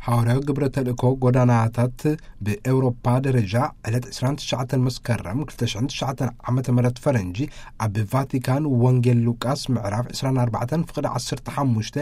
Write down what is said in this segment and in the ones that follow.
ሓዋርያዊ ግብረ ተልእኮ ጎዳናታት ብኤውሮፓ ደረጃ ዕለት ዕስራን ትሽዓተን መስከረም ክልተ ሽሕን ትሽዓተን ዓመተ ምህረት ፈረንጂ ኣብ ቫቲካን ወንጌል ሉቃስ ምዕራፍ ዕስራን ኣርባዕተን ፍቕዲ ዓሰርተ ሓሙሽተ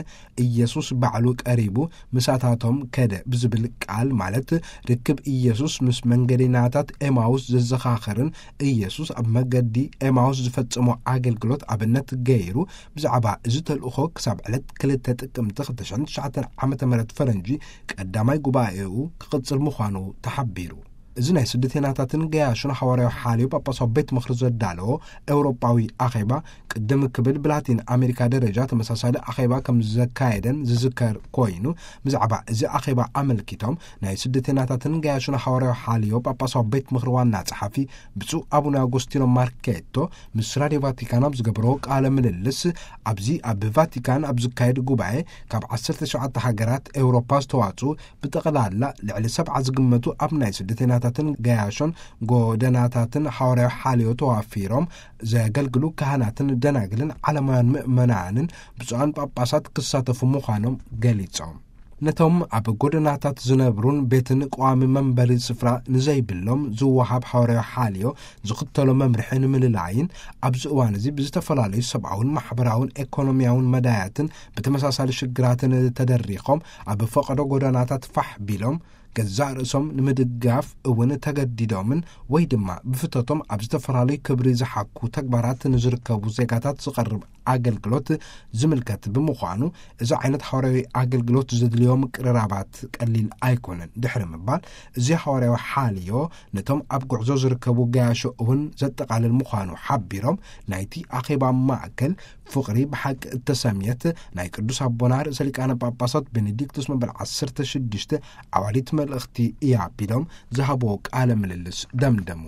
ኢየሱስ ባዕሉ ቀሪቡ ምሳታቶም ከደ ብዝብል ቃል፣ ማለት ርክብ ኢየሱስ ምስ መንገደኛታት ኤማውስ ዘዘኻኽርን ኢየሱስ ኣብ መገዲ ኤማውስ ዝፈጸሞ ኣገልግሎት ኣብነት ገይሩ፣ ብዛዕባ እዚ ተልእኾ ክሳብ ዕለት ክልተ ጥቅምቲ ክልተ ሽሕን ትሽዓተን ዓመተ ምህረት ፈረንጂ ቀዳማይ ጉባኤኡ ክቕጽል ምዃኑ ተሓቢሩ። እዚ ናይ ስደተኛታትን ገያሹን ሓዋርያዊ ሓልዮ ጳጳሳዊ ቤት ምኽሪ ዘዳለዎ ኤውሮጳዊ ኣኼባ፣ ቅድም ክብል ብላቲን ኣሜሪካ ደረጃ ተመሳሳሊ ኣኼባ ከም ዘካየደን ዝዝከር ኮይኑ፣ ብዛዕባ እዚ ኣኼባ ኣመልኪቶም ናይ ስደተኛታትን ገያሹን ሓዋርያዊ ሓልዮ ጳጳሳዊ ቤት ምኽሪ ዋና ጸሓፊ ብፁዕ ኣቡነ ኣጎስቲኖ ማርኬቶ ምስ ራድዮ ቫቲካን ኣብ ዝገበሮ ቃለ ምልልስ፣ ኣብዚ ኣብ ቫቲካን ኣብ ዝካየድ ጉባኤ ካብ ዓሰርተ ሸውዓተ ሃገራት ኤውሮፓ ዝተዋጽኡ ብጠቕላላ ልዕሊ ሰብዓ ዝግመቱ ኣብ ናይ ስደተኛታትን ገያሾን ጎደናታትን ሓዋርያዊ ሓልዮ ተዋፊሮም ዘገልግሉ ካህናትን ደናግልን ዓለማውያን ምእመናንን ብፁዓን ጳጳሳት ክሳተፉ ምዃኖም ገሊጾም። ነቶም ኣብ ጎደናታት ዝነብሩን ቤትን ቀዋሚ መንበሪ ስፍራ ንዘይብሎም ዝወሃብ ሓዋርያዊ ሓልዮ ዝኽተሎ መምርሒ ንምልላይን፣ ኣብዚ እዋን እዚ ብዝተፈላለዩ ሰብኣውን ማሕበራውን ኤኮኖሚያውን መዳያትን ብተመሳሳሊ ሽግራትን ተደሪኾም ኣብ ፈቐዶ ጎደናታት ፋሕ ቢሎም ገዛእ ርእሶም ንምድጋፍ እውን ተገዲዶምን ወይ ድማ ብፍቶቶም ኣብ ዝተፈላለዩ ክብሪ ዝሓኩ ተግባራት ንዝርከቡ ዜጋታት ዝቐርብ ኣገልግሎት ዝምልከት ብምዃኑ፣ እዚ ዓይነት ሓዋርያዊ ኣገልግሎት ዘድልዮ ምቅርራባት ቀሊል ኣይኮነን። ድሕሪ ምባል፣ እዚ ሓዋርያዊ ሓልዮ ነቶም ኣብ ጉዕዞ ዝርከቡ ገያሾ እውን ዘጠቓልል ምዃኑ ሓቢሮም፣ ናይቲ ኣኼባ ማእከል ፍቕሪ ብሓቂ እተሰምየት ናይ ቅዱስ ኣቦና ርእሰ ሊቃነ ጳጳሳት ቤኔዲክቱስ መበል ዓሰርተ ሽዱሽተ ዓዋዲት መልእኽቲ እያ ቢሎም ዝሃብዎ ቃለ ምልልስ ደምደሙ።